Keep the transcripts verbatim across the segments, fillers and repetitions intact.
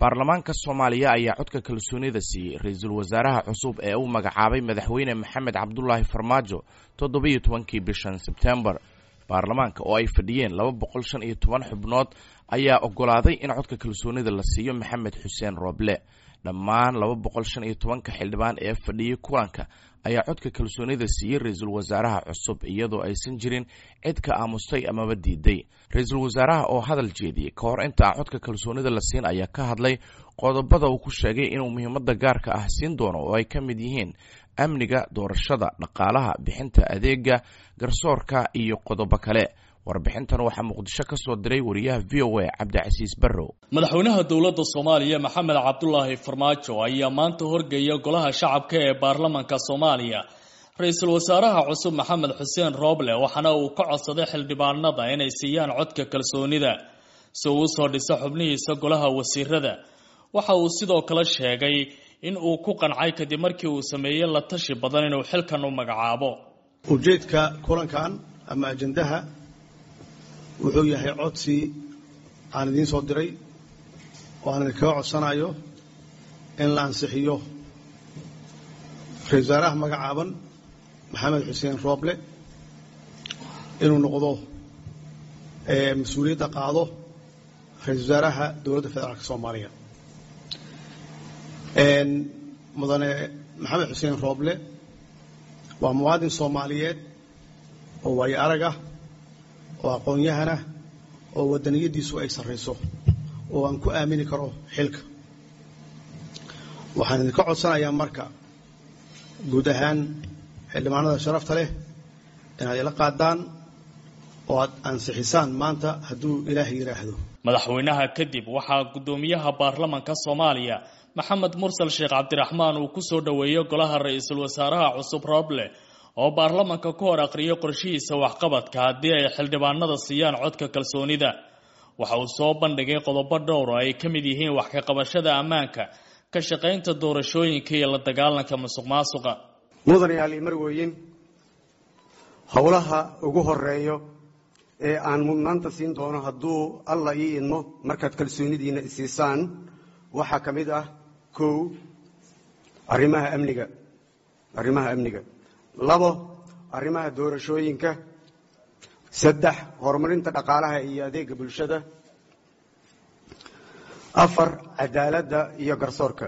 Baarlamaanka Soomaaliya ayaa codka kalsoonida siiyey ra-iisul wasaaraha cusub ee uu magacaabay Madaxweyne Maxamed Cabdulaahi Farmaajo toddobiyo tobankii bishan Sebtembar. Baarlamaanka oo ay fadhiyeen laba boqol shan iyo toban xubnood ayaa oggolaaday in codka kalsoonida la siiyo Maxamed Xuseen Rooble. Dhammaan laba boqol shan iyo tobanka xildhibaan ee fadhiyey kulanka ayaa codka kalsoonida siiyey ra-iisul wasaaraha cusub, iyadoo aysan jirin cid ka aamustay amaba diiday. Ra-iisul wasaaraha oo hadal jeediyey ka hor inta aan codka kalsoonida la siin ayaa ka hadlay qodobada uu ku sheegay inuu muhiimadda gaarka ah siin doono, oo ay ka mid yihiin amniga, doorashada, dhaqaalaha, bixinta adeega garsoorka iyo qodobo kale. Warbixintan waxaa Muqdisho ka soo diray wariyaha V O A Cabdicasiis Barrow. Madaxweynaha dowladda Soomaaliya Maxamed Cabdulaahi Farmaajo ayaa maanta horgeeya golaha shacabka ee baarlamaanka Soomaaliya ra-iisul wasaaraha cusub Maxamed Xuseen Rooble, waxaana uu ka codsaday xildhibaanada inay siiyaan codka kalsoonida si uu usoo dhiso xubnihiisa golaha wasiirada. Waxa uu sidoo kale sheegay in uu ku qancay kadib markii uu sameeyey la tashi badan inuu xilkan u magacaabo. Ujeedka kulankan ama ajandaha wuxuu yahay codsi aan idiin soo diray oo aan idinkaga codsanayo in la ansixiyo ra-iisul wasaaraha magacaaban Maxamed Xuseen Rooble inuu noqdo mas-uuliyadda qaado ra-iisul wasaaraha dowladda federaalka Soomaaliya. Mudane Maxamed Xuseen Rooble waa muwaadin Soomaaliyeed oo waayo arag ah, oo aqoon-yahanah, oo waddaniyadiisu ay sarrayso, oo aan ku aamini karo xilka. Waxaan idinka codsanayaa marka guud ahaan xildhibaanada sharafta leh inaad ila qaadaan oo aad ansixisaan maanta hadduu Ilaahay yidhaahdo. Madaxweynaha kadib waxaa guddoomiyaha baarlamaanka Soomaaliya Maxamed Mursal Sheekh Cabdiraxmaan uu ku soo dhoweeyey golaha ra-iisul wasaaraha cusub Rooble, oo baarlamaanka ku hor aqriyay qorshihiisa waxqabadka haddii ay xildhibaanada siiyaan codka kalsoonida. Waxa uu soo bandhigay qodobo dhowr oo ay ka mid yihiin wax ka qabashada ammaanka, ka shaqaynta doorashooyinka iyo la dagaalanka musuq maasuqa. Mudanayaal marweyn, howlaha ugu horeeyo ee aan mudnaanta siin doono hadduu Alla ii idmo markaad kalsoonidiina isiisaan waxaa ka mid ah: kow, arrimaha amniga arrimaha amniga labo, arrimaha doorashooyinka; saddex, horumarinta dhaqaalaha iyo adeega bulshada; afar, cadaaladda iyo garsoorka;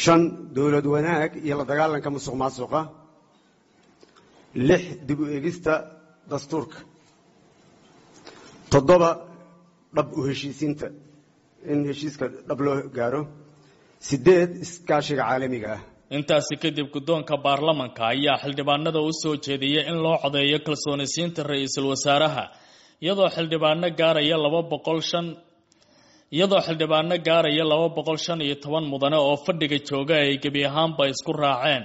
shan, dowlad wanaag iyo la dagaalanka musuq maasuqa; lix, dib u eegista dastuurka; toddoba, dhab u heshiisiinta, in heshiiska dhab loo gaaro; sideed, iskaashiga caalamiga ah. Intaasi kadib guddoonka baarlamanka ayaa xildhibaanada u soo jeediyey in loo codeeyo kalsoonisiinta ra-iisul wasaaraha, iyadoo xildhibaano gaaraya laba boqol shan iyadoo xildhibaano gaaraya laba boqol shan iyo toban mudane oo fadhiga jooga ay gebi ahaanba isku raaceen.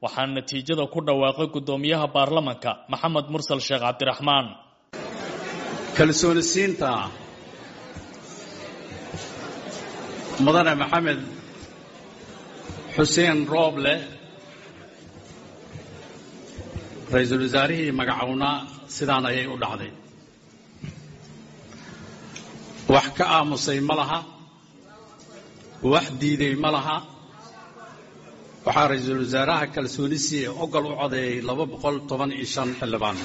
Waxaa natiijada ku dhawaaqay guddoomiyaha baarlamanka Maxamed Mursal Sheekh Cabdiraxmaan. Kalsoonisiinta mudane Maxamed Xuseen Rooble, ra-iisul wasaarihii magacownaa, sidaan ayay u dhacday: wax ka aamusay ma laha, wax diiday ma laha. Waxaa ra-iisul wasaaraha kalsooni siiye ogol u codeeyey laba boqol toban iyo shan xildhibaan.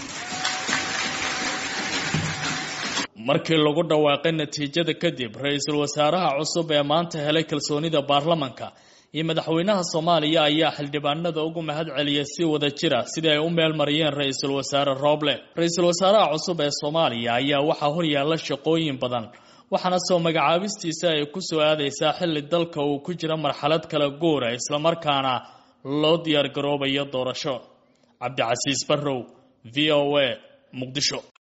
Markii lagu dhawaaqay natiijada kadib, ra-iisul wasaaraha cusub ee maanta helay kalsoonida baarlamanka iyo madaxweynaha Soomaaliya ayaa xildhibaanada ugu mahad celiyay si wada jira sidii ay u meel mariyeen ra-iisul wasaare Rooble. Ra-iisul wasaaraha cusub ee Soomaaliya ayaa waxaa horyaalla shaqooyin badan, waxaana soo magacaabistiisa ay ku soo aadaysaa xilli dalka uu ku jira marxalad kala guura, islamarkaana loo diyaar garoobayo doorasho. Cabdicasiis Barrow, V O A, Muqdisho.